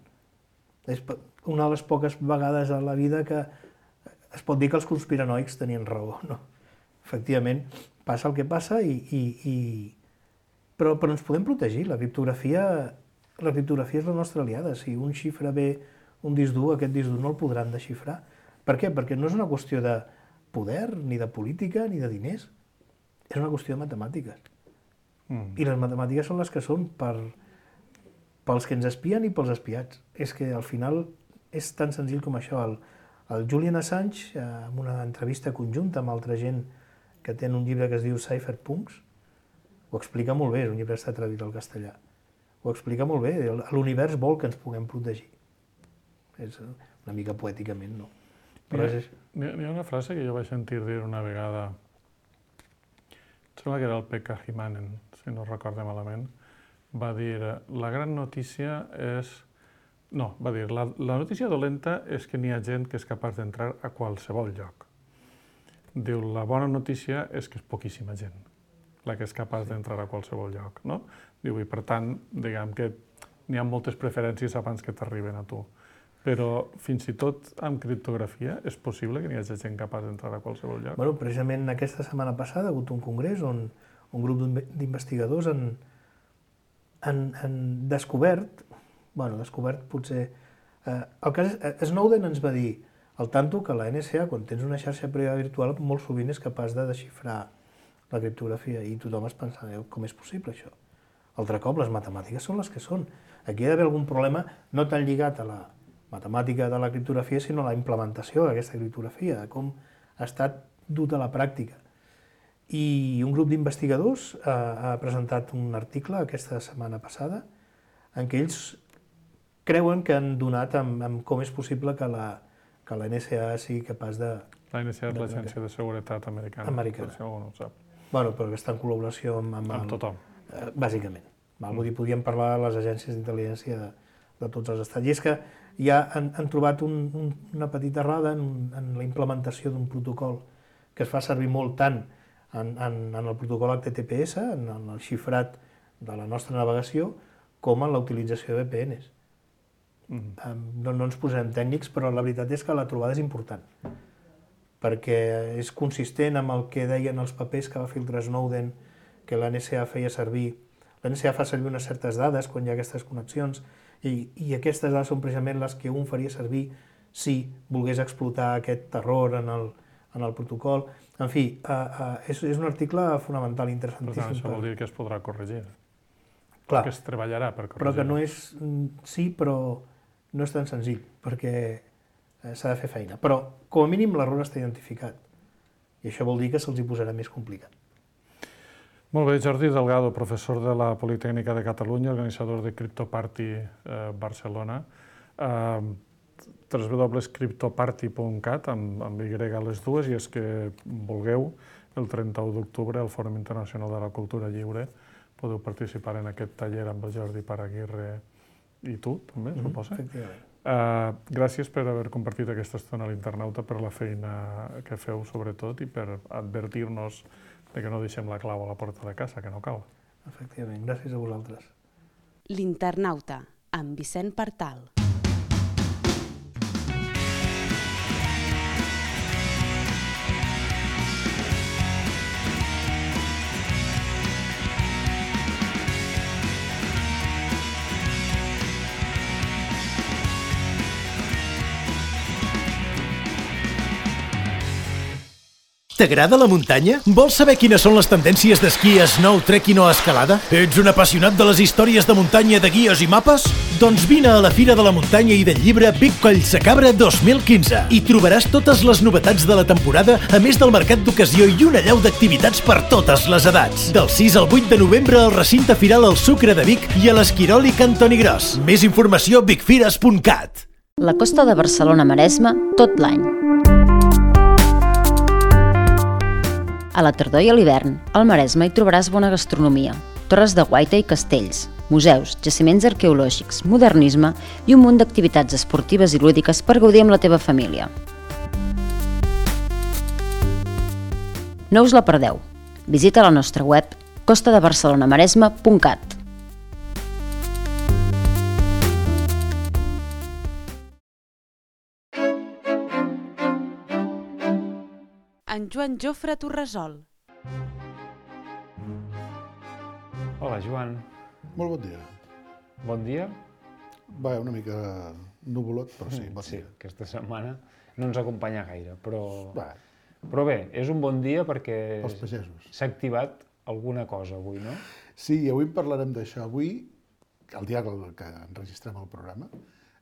És una de les poques vegades a la vida que es pot dir que els conspiranoics tenien raó, no? Efectivament, passa el que passa però ens podem protegir. La criptografia és la nostra aliada. Si un xifra bé un disc dur, aquest disc dur no el podran desxifrar. Per què? Perquè no és una qüestió de poder, ni de política, ni de diners. És una qüestió de matemàtiques. I les matemàtiques són les que són pels que ens espien i pels espiats. És que al final és tan senzill com això. El Julian Assange, en una entrevista conjunta amb altra gent que té un llibre que es diu Cypherpunks, ho explica molt bé, és un llibre que està traduït al castellà. Ho explica molt bé, l'univers vol que ens puguem protegir. És una mica poèticament, no? Però hi ha una frase que jo vaig sentir dir una vegada, em sembla que era el Pekka Himanen, si no recordo malament, va dir, la gran notícia és... No, va dir, la notícia dolenta és que n'hi ha gent que és capaç d'entrar a qualsevol lloc. Diu, la bona notícia és que és poquíssima gent la que és capaç d'entrar a qualsevol lloc, no? Diu, i per tant, diguem que n'hi ha moltes preferències abans que t'arriben a tu. Però fins i tot amb criptografia és possible que n'hi hagi gent capaç d'entrar a qualsevol lloc? Bueno, precisament aquesta setmana passada ha hagut un congrés on un grup d'investigadors han descobert potser... El cas Snowden ens va dir al tanto que la NSA, quan tens una xarxa privada virtual, molt sovint és capaç de desxifrar la criptografia i tothom es pensa, com és possible això? Altre cop, les matemàtiques són les que són. Aquí hi ha d'haver algun problema no tan lligat a la matemàtica de la criptografia, sinó a la implementació d'aquesta criptografia, de com ha estat dut a la pràctica. I un grup d'investigadors ha presentat un article aquesta setmana passada en què ells creuen que han donat amb com és possible que la NSA sigui capaç de... La NSA és l'Agència de Seguretat Americana, per si algú no ho sap. Bueno, però que està en col·laboració amb tothom. Bàsicament. Vull dir, podríem parlar de les agències d'intel·ligència de tots els estats. I és que ja han trobat una petita errada en la implementació d'un protocol que es fa servir molt tant en el protocol HTTPS, en el xifrat de la nostra navegació, com en la utilització de VPNs. No ens posarem tècnics, però la veritat és que la trobada és important, perquè és consistent amb el que deien els papers que va filtrar Snowden, que la NSA feia servir. La NSA fa servir unes certes dades quan hi ha aquestes connexions, i aquestes dades són precisament les que un faria servir si volgués explotar aquest terror en el protocol. En fi, és un article fonamental, interessantíssim. Per tant, això vol dir que es podrà corregir. Clar, que es treballarà per corregir. Però que no és... Sí, però no és tan senzill, perquè s'ha de fer feina. Però, com a mínim, l'error està identificat. I això vol dir que se'ls hi posarà més complicat. Molt bé, Jordi Delgado, professor de la Politècnica de Catalunya, organitzador de CryptoParty Barcelona. www.cryptoparty.cat, amb Y a les dues, i és que vulgueu, el 31 d'octubre, al Fòrum Internacional de la Cultura Lliure, podeu participar en aquest taller amb el Jordi Paraguirre i tu, també, suposa. Efectivament. Gràcies per haver compartit aquesta estona a l'Internauta, per la feina que feu, sobretot, i per advertir-nos que no deixem la clau a la porta de casa, que no cal. Efectivament, gràcies a vosaltres. L'Internauta, amb Vicent Partal. T'agrada la muntanya? Vols saber quines són les tendències d'esquí, snow, trekking o escalada? Ets un apassionat de les històries de muntanya de guies i mapes? Doncs vine a la Fira de la Muntanya i del Llibre Vic Collsacabra 2015. Hi trobaràs totes les novetats de la temporada, a més del mercat d'ocasió i una llau d'activitats per totes les edats. Del 6 al 8 de novembre al recinte firal El Sucre de Vic i a l'Esquirol i Cantoni Gros. Més informació a vicfires.cat. La costa de Barcelona-Maresme tot l'any. A la tardor i a l'hivern, al Maresme hi trobaràs bona gastronomia, torres de guaita i castells, museus, jaciments arqueològics, modernisme i un munt d'activitats esportives i lúdiques per gaudir amb la teva família. No us la perdeu. Visita la nostra web costadebarcelonamaresme.cat. En Joan Jofre Torresol. Hola, Joan. Molt bon dia. Bon dia. Va, una mica nuvolot, però sí, bon Sí, dia. aquesta setmana no ens acompanya gaire, però Va, bé, és un bon dia perquè pels pagesos. s'ha activat alguna cosa avui, no? Sí, i avui en parlarem d'això. Avui, el dia que enregistrem el programa,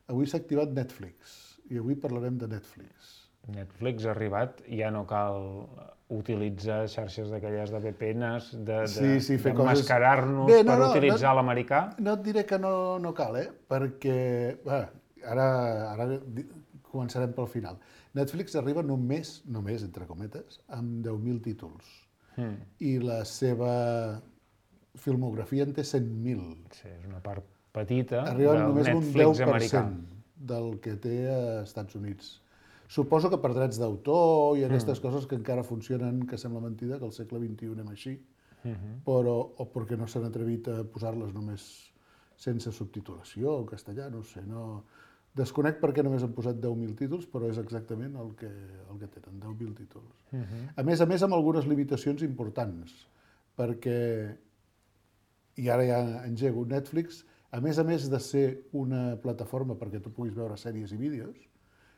avui s'ha activat Netflix, i avui parlarem de Netflix. Netflix ha arribat, ja no cal utilitzar xarxes d'aquelles de VPNs, fer coses... mascarar-nos Bé, per utilitzar l'americà. No et diré que no cal, perquè ara començarem pel final. Netflix arriba només, entre cometes, amb 10.000 títols. I la seva filmografia en té 100.000. Sí, és una part petita Arriba del només un Netflix americà. 10% del que té a Estats Units. Suposo que per drets d'autor i aquestes coses que encara funcionen, que sembla mentida, que al segle XXI anem així, però o perquè no s'han atrevit a posar-les només sense subtitulació o castellà, no sé, no... Desconec per què només han posat 10.000 títols, però és exactament el que tenen, 10.000 títols. A més, amb algunes limitacions importants, perquè, i ara ja engego, Netflix, a més de ser una plataforma perquè tu puguis veure sèries i vídeos,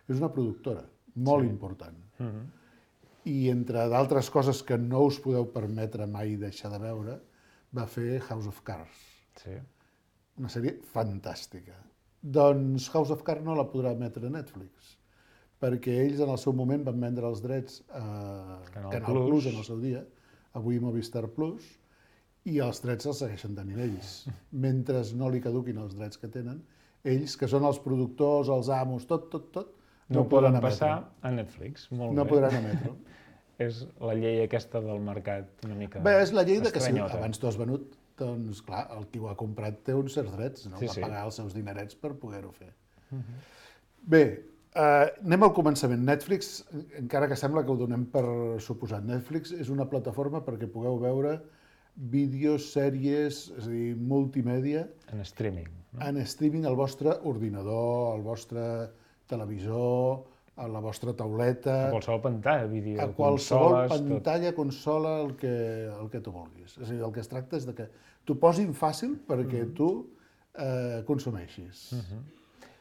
és una productora molt important. I entre d'altres coses que no us podeu permetre mai deixar de veure, va fer House of Cards. Sí. Una sèrie fantàstica. Doncs House of Cards no la podrà emetre Netflix, perquè ells en el seu moment van vendre els drets a Canal Plus en el seu dia, avui Movistar Plus, i els drets els segueixen tenint ells. Mentre no li caduquin els drets que tenen, ells, que són els productors, els amos, tot, no poden passar a Netflix. Molt bé. No podran emetre. És la llei aquesta del mercat una mica Bé, és la llei de que si estranyota. abans t'ho has venut, doncs clar, el qui ho ha comprat té uns certs drets, no? Va pagar els seus dinerets per poder-ho fer. Bé, anem al començament. Netflix, encara que sembla que ho donem per suposat, Netflix és una plataforma perquè pugueu veure vídeos, sèries, és a dir, multimèdia... En streaming. En streaming al vostre ordinador, al vostre televisor, a la vostra tauleta... A qualsevol pantalla, vídeo, a qualsevol consoles... pantalla, consola, el que tu vulguis. És a dir, el que es tracta és de que t'ho posin fàcil perquè tu consumeixis.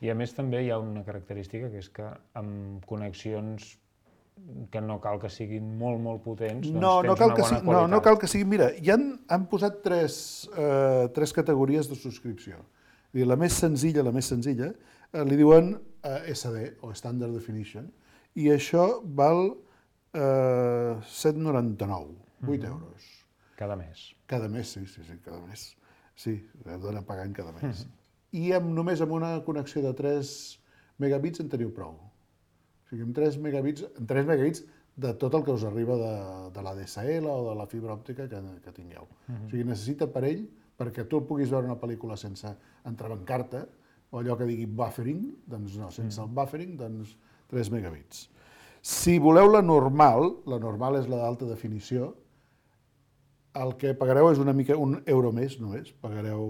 I a més també hi ha una característica que és que amb connexions que no cal que siguin molt potents, doncs tens una bona qualitat. No cal que siguin... Mira, han posat tres categories de subscripció. La més senzilla, li diuen SD, o Standard Definition, i això val 7,99, 8 euros. Cada mes. Cada mes, sí, cada mes. Sí, heu d'anar pagant cada mes. I només amb una connexió de 3 megabits en teniu prou. O sigui, amb 3 megabits de tot el que us arriba de la DSL o de la fibra òptica que tingueu. O sigui, necessita per ell, perquè tu puguis veure una pel·lícula sense entrebancar-te, o allò que digui buffering, doncs no, sense el buffering, doncs 3 megabits. Si voleu la normal és la d'alta definició, el que pagareu és una mica un euro més només, pagareu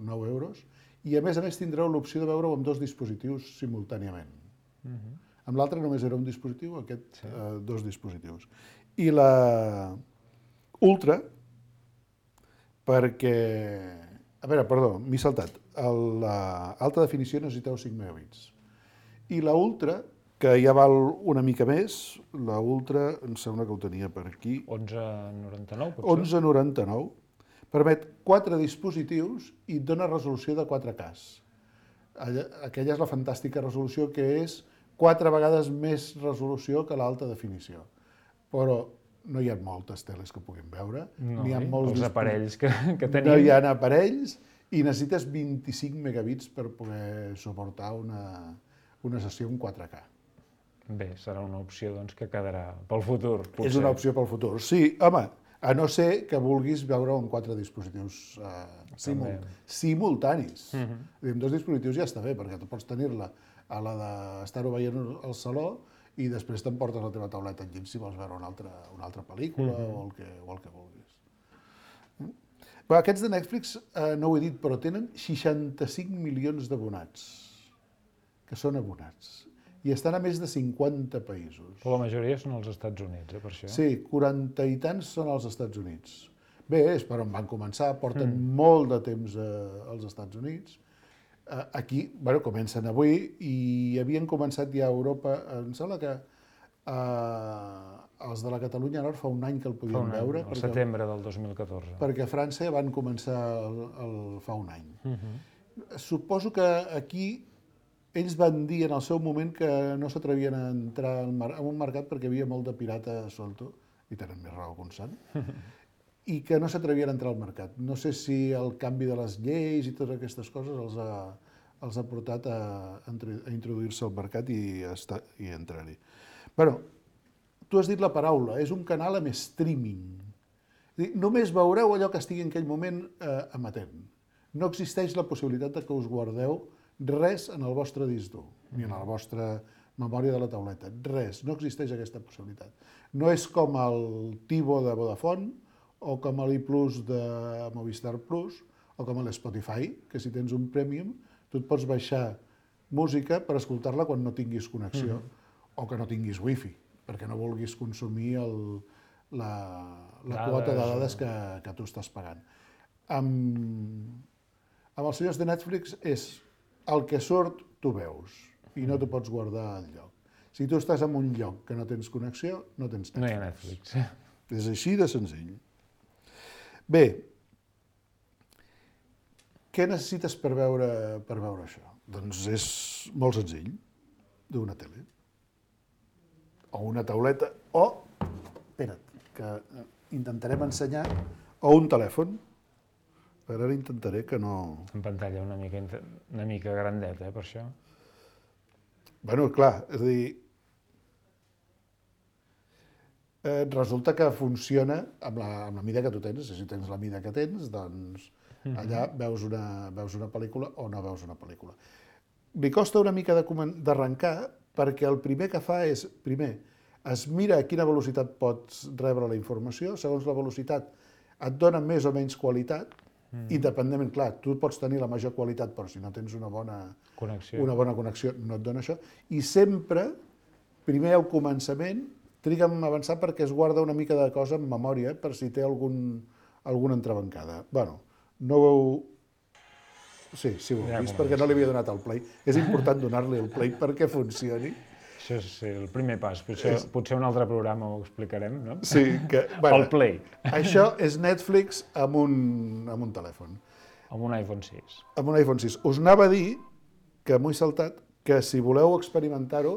9 euros, i a més tindreu l'opció de veure-ho amb 2 dispositius simultàniament. Amb l'altre només era un dispositiu, aquest 2 dispositius. I la Ultra, perquè... A veure, perdó, m'he saltat. L'alta definició necessiteu 5 megabits. I la Ultra que ja val una mica més, la Ultra, em sembla que ho tenia per aquí, 11,99 potser? 11,99. Permet 4 dispositius i et dona resolució de 4K. Aquella és la fantàstica resolució que és 4 vegades més resolució que l'alta definició. Però no hi ha moltes teles que puguin veure. No, n'hi ha molts els aparells que tenim. No hi ha aparells i necessites 25 megabits per poder suportar una sessió en 4K. Bé, serà una opció doncs, que quedarà pel futur, potser. És una opció pel futur. Sí, home, a no ser que vulguis veure en 4 dispositius simultanis. Amb 2 dispositius ja està bé, perquè tu pots tenir-la a la d'estar-ho veient al saló i després t'emportes la teva tauleta enllit si vols veure una altra pel·lícula o el que vulguis. Però aquests de Netflix, no ho he dit, però tenen 65 milions d'abonats, que són abonats, i estan a més de 50 països. Però la majoria són als Estats Units, per això. Sí, 40 i tants són als Estats Units. Bé, és per on van començar, porten molt de temps als Estats Units. Aquí, bueno, comencen avui i havien començat ja a Europa, em sembla que els de la Catalunya Nord fa un any que el podien veure. Al setembre del 2014. Perquè a França van començar fa un any. Suposo que aquí ells van dir en el seu moment que no s'atrevien a entrar en un mercat perquè hi havia molt de pirata solto, i tenen més raó que un sant, i que no s'atrevien a entrar al mercat. No sé si el canvi de les lleis i totes aquestes coses els ha portat a introduir-se al mercat i entrar-hi. Però, tu has dit la paraula, és un canal amb streaming. Només veureu allò que estigui en aquell moment emetent. No existeix la possibilitat que us guardeu res en el vostre disc dur, ni en la vostra memòria de la tauleta. Res, no existeix aquesta possibilitat. No és com el Tivo de Vodafone, o com l'I+ de Movistar Plus, o com l'Spotify, que si tens un Premium, tu et pots baixar música per escoltar-la quan no tinguis connexió, o que no tinguis wifi, perquè no vulguis consumir la quota de dades que tu estàs pagant. Amb els senyors de Netflix és el que surt, tu veus, i no t'ho pots guardar al lloc. Si tu estàs en un lloc que no tens connexió, no tens Netflix. No hi ha Netflix. És així de senzill. Bé, què necessites per veure això? Doncs és molt senzill. D'una tele, o una tauleta, o, espera't, que intentarem ensenyar, o un telèfon. Ara intentaré que no... En pantalla una mica grandeta, per això. Bueno, clar, és a dir, resulta que funciona amb la mida que tu tens. Si tens la mida que tens, doncs allà veus una pel·lícula o no veus una pel·lícula. Li costa una mica d'arrencar perquè el primer que fa és, primer, es mira a quina velocitat pots rebre la informació, segons la velocitat et dona més o menys qualitat, independentment, clar, tu pots tenir la major qualitat, però si no tens una bona connexió no et dona això, i sempre, primer al començament, triga a avançar perquè es guarda una mica de cosa en memòria per si té alguna entrebancada. Bueno, no ho heu... Sí, ho heu vist, perquè no li havia donat el play. És important donar-li el play perquè funcioni. Això és el primer pas. Potser un altre programa ho explicarem, no? Sí, que... El Play. Això és Netflix amb un telèfon. Amb un iPhone 6. Amb un iPhone 6. Us anava a dir, que m'ho he saltat, que si voleu experimentar-ho,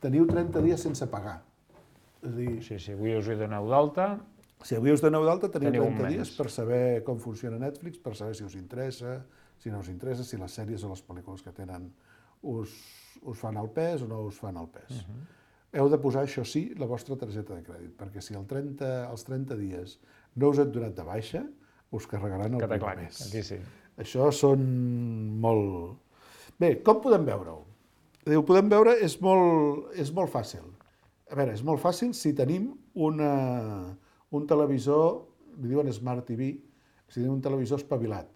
teniu 30 dies sense pagar. És a dir... Sí, avui us hi doneu d'alta. Si avui us doneu d'alta, teniu 30 dies per saber com funciona Netflix, per saber si us interessa, si no us interessa, si les sèries o les pel·lícules que tenen us fan el pes o no us fan el pes. Heu de posar, això sí, la vostra targeta de crèdit, perquè si als 30 dies no us heu donat de baixa, us carregaran el primer mes. Aquí sí. Això són molt... Bé, com podem veure-ho? Ho podem veure, és molt fàcil. A veure, és molt fàcil si tenim un televisor, li diuen Smart TV, si tenim un televisor espavilat,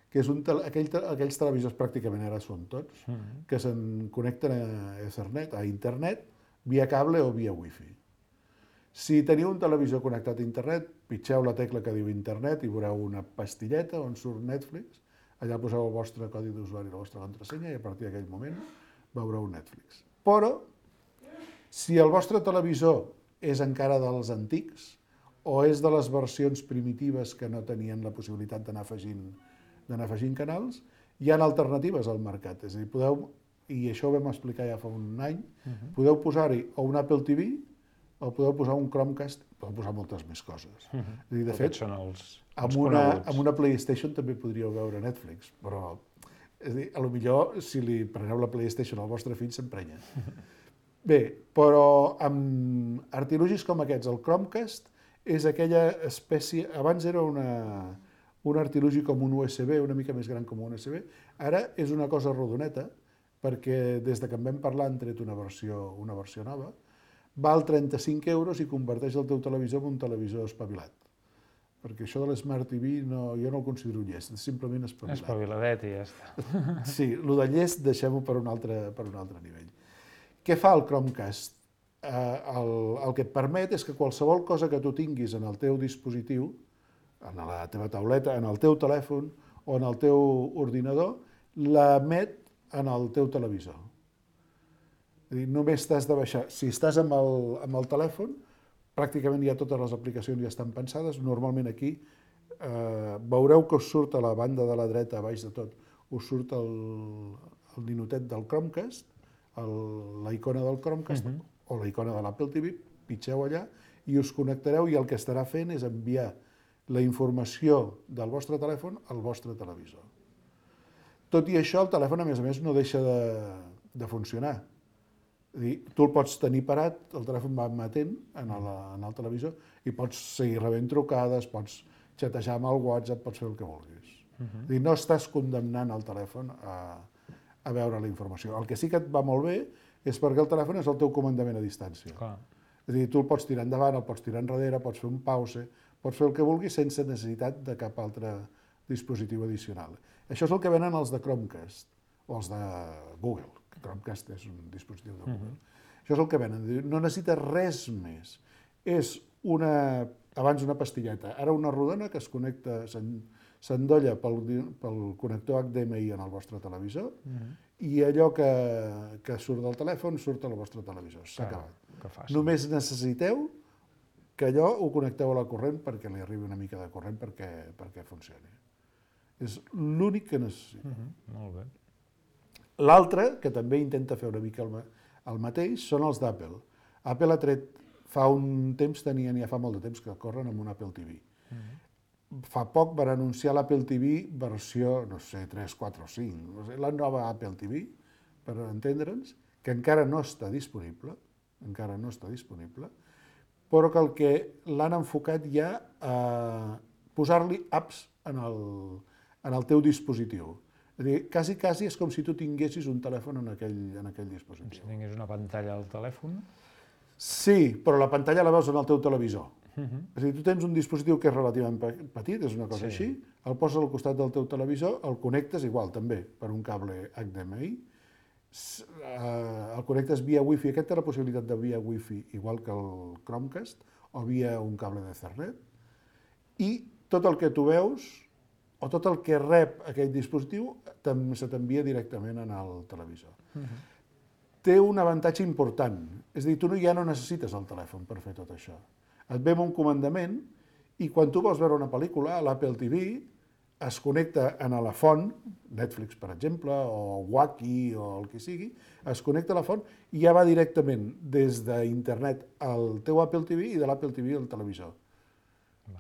que és aquells televisors pràcticament ara són tots, que se'n connecten a Ethernet, a internet, via cable o via wifi. Si teniu un televisor connectat a internet, pitgeu la tecla que diu internet i veureu una pastilleta on surt Netflix, allà poseu el vostre codi d'usuari i la vostra contrasenya i a partir d'aquell moment veureu Netflix. Però Si el vostre televisor és encara dels antics o és de les versions primitives que no tenien la possibilitat d'anar afegint canals, hi ha alternatives al mercat. És a dir, i això ho vam explicar ja fa un any, podeu posar-hi o un Apple TV o podeu posar un Chromecast, podeu posar moltes més coses. És a dir, de fet, són els amb una PlayStation també podríeu veure Netflix, però és a dir, potser si li preneu la PlayStation al vostre fill s'emprenya. Bé, però amb artilugis com aquests, el Chromecast és aquella espècie, abans era un artilugi com un USB, una mica més gran com un USB, ara és una cosa rodoneta, perquè des que en vam parlar han tret una versió nova, val 35 euros i converteix el teu televisor en un televisor espavilat. Perquè això de l'Smart TV jo no el considero llest, és simplement espavilat. Espaviladet i ja està. Sí, el de llest deixem-ho per un altre nivell. Què fa el Chromecast? El que et permet és que qualsevol cosa que tu tinguis en el teu dispositiu, en la teva tauleta, en el teu telèfon o en el teu ordinador, l'emet en el teu televisor. És a dir, només t'has de baixar. Si estàs amb el telèfon, pràcticament ja totes les aplicacions ja estan pensades. Normalment aquí veureu que us surt a la banda de la dreta, a baix de tot, us surt el ninotet del Chromecast, la icona del Chromecast o la icona de l'Apple TV, pitgeu allà i us connectareu i el que estarà fent és enviar la informació del vostre telèfon al vostre televisor. Tot i això, el telèfon, a més, no deixa de funcionar. És a dir, tu el pots tenir parat, el telèfon va emetent en el televisor i pots seguir rebent trucades, pots xatejar amb el WhatsApp, pots fer el que vulguis. És a dir, no estàs condemnant el telèfon a veure la informació. El que sí que et va molt bé és perquè el telèfon és el teu comandament a distància. És a dir, tu el pots tirar endavant, el pots tirar enrere, pots fer un pause, pots fer el que vulguis sense necessitat de cap altre dispositiu addicional. Això és el que venen els de Chromecast, o els de Google. Chromecast és un dispositiu de Google. Això és el que venen. No necessites res més. És abans una pastilleta, ara una rodona que es connecta, s'endolla pel connector HDMI en el vostre televisor i allò que surt del telèfon surt al vostre televisor. S'ha acabat. Només necessiteu que allò ho connecteu a la corrent perquè li arribi una mica de corrent perquè funcioni. És l'únic que necessita. Molt bé. L'altre, que també intenta fer una mica el mateix, són els d'Apple. Apple ha tret, fa un temps, ja fa molt de temps que corren amb un Apple TV. Fa poc van anunciar l'Apple TV versió, no sé, 3, 4 o 5, la nova Apple TV, per entendre'ns, que encara no està disponible, però que el que l'han enfocat ja a posar-li apps en el teu dispositiu. És a dir, quasi és com si tu tinguessis un telèfon en aquell dispositiu. Si tingués una pantalla al telèfon? Sí, però la pantalla la veus en el teu televisor. És a dir, tu tens un dispositiu que és relativament petit, és una cosa així, el poses al costat del teu televisor, el connectes igual també per un cable HDMI, el connectes via Wi-Fi, aquest té la possibilitat de via Wi-Fi igual que el Chromecast, o via un cable d'Ethernet, i tot el que tu veus, o tot el que rep aquell dispositiu, se t'envia directament al televisor. Té un avantatge important, és a dir, tu ja no necessites el telèfon per fer tot això. Et ve amb un comandament i quan tu vols veure una pel·lícula, a l'Apple TV, es connecta a la font, Netflix, per exemple, o Wacky, o el que sigui, es connecta a la font i ja va directament des d'internet al teu Apple TV i de l'Apple TV al televisor.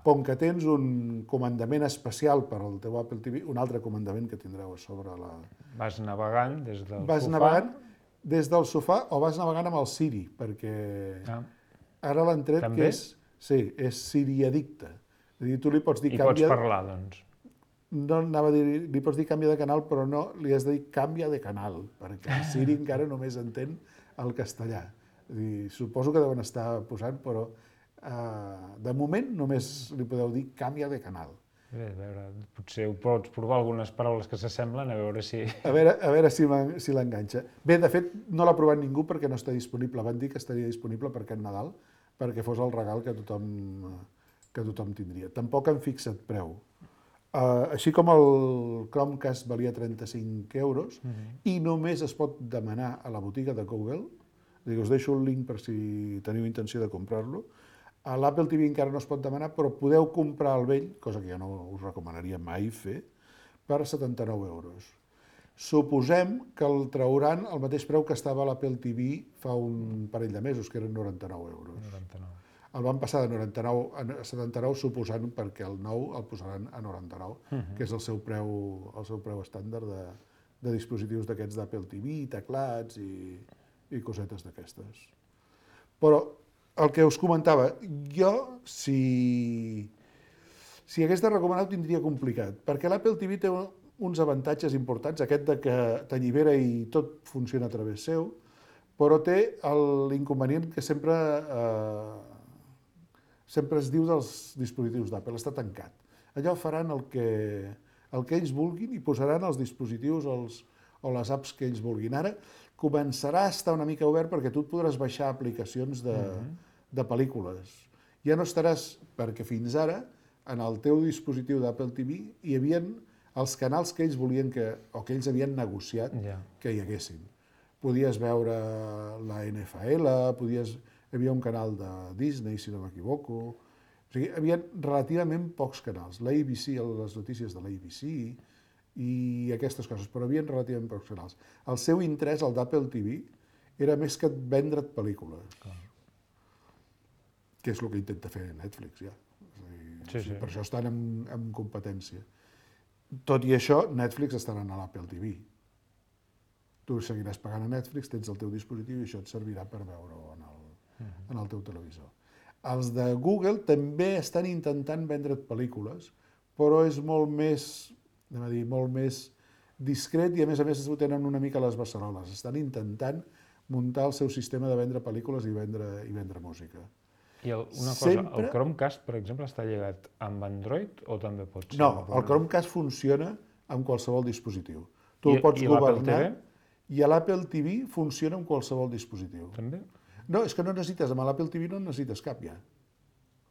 Com que tens un comandament especial per al teu Apple TV, un altre comandament que tindreu a sobre la... Vas navegant des del sofà? Vas navegant des del sofà o vas navegant amb el Siri, perquè ara l'han tret que és Siri addicte. És a dir, tu li pots dir... I pots parlar, doncs. No anava a dir, li pots dir canvia de canal, però no, li has de dir canvia de canal, perquè el Siri encara només entén el castellà. És a dir, suposo que deuen estar posant, però de moment només li podeu dir canvia de canal. Bé, a veure, potser ho pots provar algunes paraules que s'assemblen, a veure si... A veure si l'enganxa. Bé, de fet, no l'ha provat ningú perquè no està disponible. Van dir que estaria disponible per aquest Nadal, perquè fos el regal que tothom tindria. Tampoc han fixat preu. Així com el Chromecast valia 35 euros i només es pot demanar a la botiga de Google, Us deixo el link per si teniu intenció de comprar-lo. A l'Apple TV encara no es pot demanar, però podeu comprar el vell, cosa que jo no us recomanaria mai fer, per 79 euros. Suposem que el trauran al mateix preu que estava a l'Apple TV fa un parell de mesos, que eren 99 euros. 99. El van passar de 99 a 79, suposant perquè el nou el posaran a 99, que és el seu preu estàndard de dispositius d'aquests d'Apple TV, teclats i cosetes d'aquestes. Però el que us comentava, jo, si hagués de recomanar, ho tindria complicat, perquè l'Apple TV té uns avantatges importants, aquest de que t'allibera i tot funciona a través seu, però té l'inconvenient que sempre es diu dels dispositius d'Apple, està tancat. Allò faran el que ells vulguin i posaran els dispositius o les apps que ells vulguin. Ara començarà a estar una mica obert perquè tu et podràs baixar aplicacions de pel·lícules. Ja no estaràs, perquè fins ara, en el teu dispositiu d'Apple TV hi havia els canals que ells volien o que ells havien negociat que hi haguessin. Podies veure la NFL, hi havia un canal de Disney, si no m'equivoco. O sigui, hi havia relativament pocs canals. L'ABC, les notícies de l'ABC i aquestes coses, però hi havia relativament pocs canals. El seu interès, el d'Apple TV, era més que vendre't pel·lícules. Que és el que intenta fer Netflix, ja. Per això estan en competència. Tot i això, Netflix estarà a l'Apple TV. Tu seguiràs pagant a Netflix, tens el teu dispositiu i això et servirà per veure-ho en el teu televisor. Els de Google també estan intentant vendre't pel·lícules, però és molt més discret i a més ho tenen una mica a les beceroles. Estan intentant muntar el seu sistema de vendre pel·lícules i vendre música. I una cosa, el Chromecast, per exemple, està lligat amb Android o també pot ser? No, el Chromecast funciona amb qualsevol dispositiu. Tu el pots governar i l'Apple TV funciona amb qualsevol dispositiu. També? No, és que no necessites, amb l'Apple TV no necessites cap ja.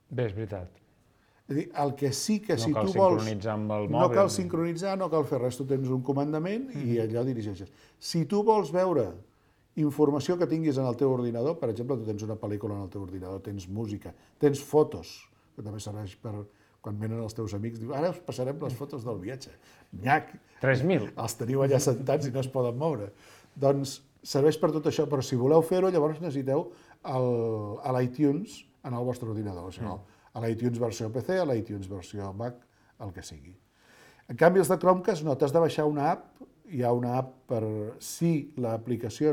Bé, és veritat. És a dir, el que sí que si tu vols... No cal sincronitzar amb el mòbil. No cal sincronitzar, no cal fer res, tu tens un comandament i allò dirigeixes. Si tu vols veure informació que tinguis en el teu ordinador, per exemple, tu tens una pel·lícula en el teu ordinador, tens música, tens fotos, que també serveix per quan venen els teus amics, diu, ara us passarem les fotos del viatge. Nyac! 3.000. Els teniu allà sentats i no es poden moure. Doncs serveix per tot això, però si voleu fer-ho, llavors necessiteu l'iTunes en el vostre ordinador. A l'iTunes versió PC, a l'iTunes versió Mac, el que sigui. En canvi, els de Chromecast no, t'has de baixar una app, hi ha una app per si l'aplicació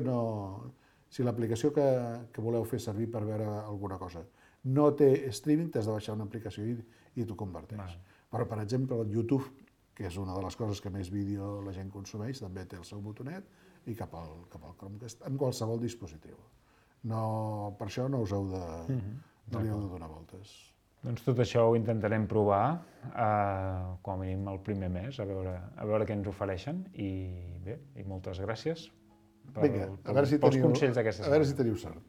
que voleu fer servir per veure alguna cosa no té streaming, t'has de baixar una aplicació i t'ho converteix. Però, per exemple, el YouTube, que és una de les coses que més vídeo la gent consumeix, també té el seu botonet i cap al Chromecast, en qualsevol dispositiu. Per això no us heu de donar voltes. Doncs tot això ho intentarem provar, com a mínim el primer mes, a veure què ens ofereixen. I bé, moltes gràcies pels consells d'aquesta setmana. A veure si teniu sort.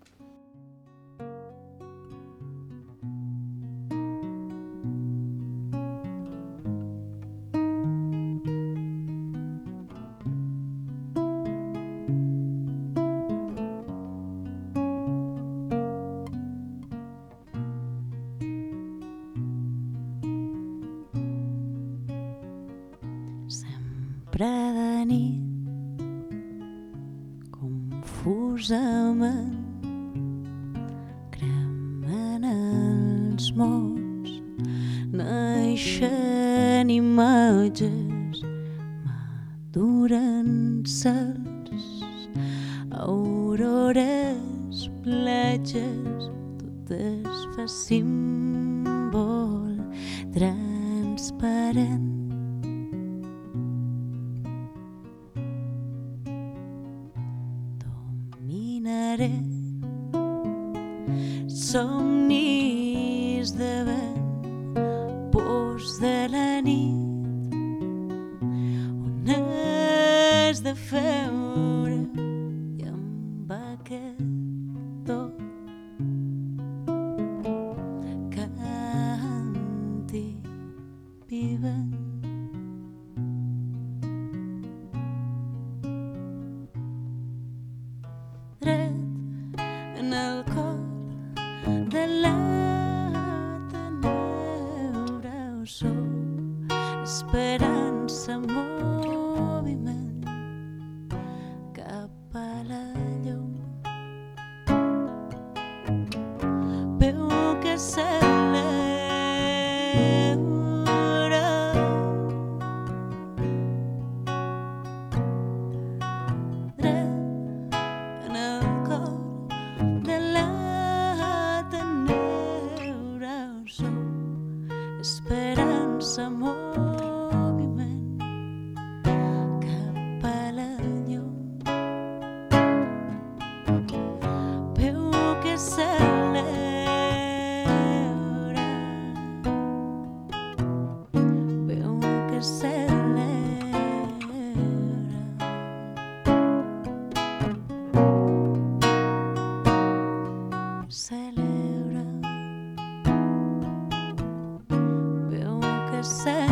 Sempre de nit, confusament, cremen els mots, naixen imatges, maduren cels, aurores, platges, tot es fa símbol transparent. Somnis de vent, pors de la nit, on has de feure i amb aquest to canti vivent. Dret sóc esperança en moviment cap a la llum. Veu que celebra dret en el cor de la tenebra. Sóc esperança en moviment cap a la llum. Veu que celebra, veu que celebra. Celebra, veu que celebra.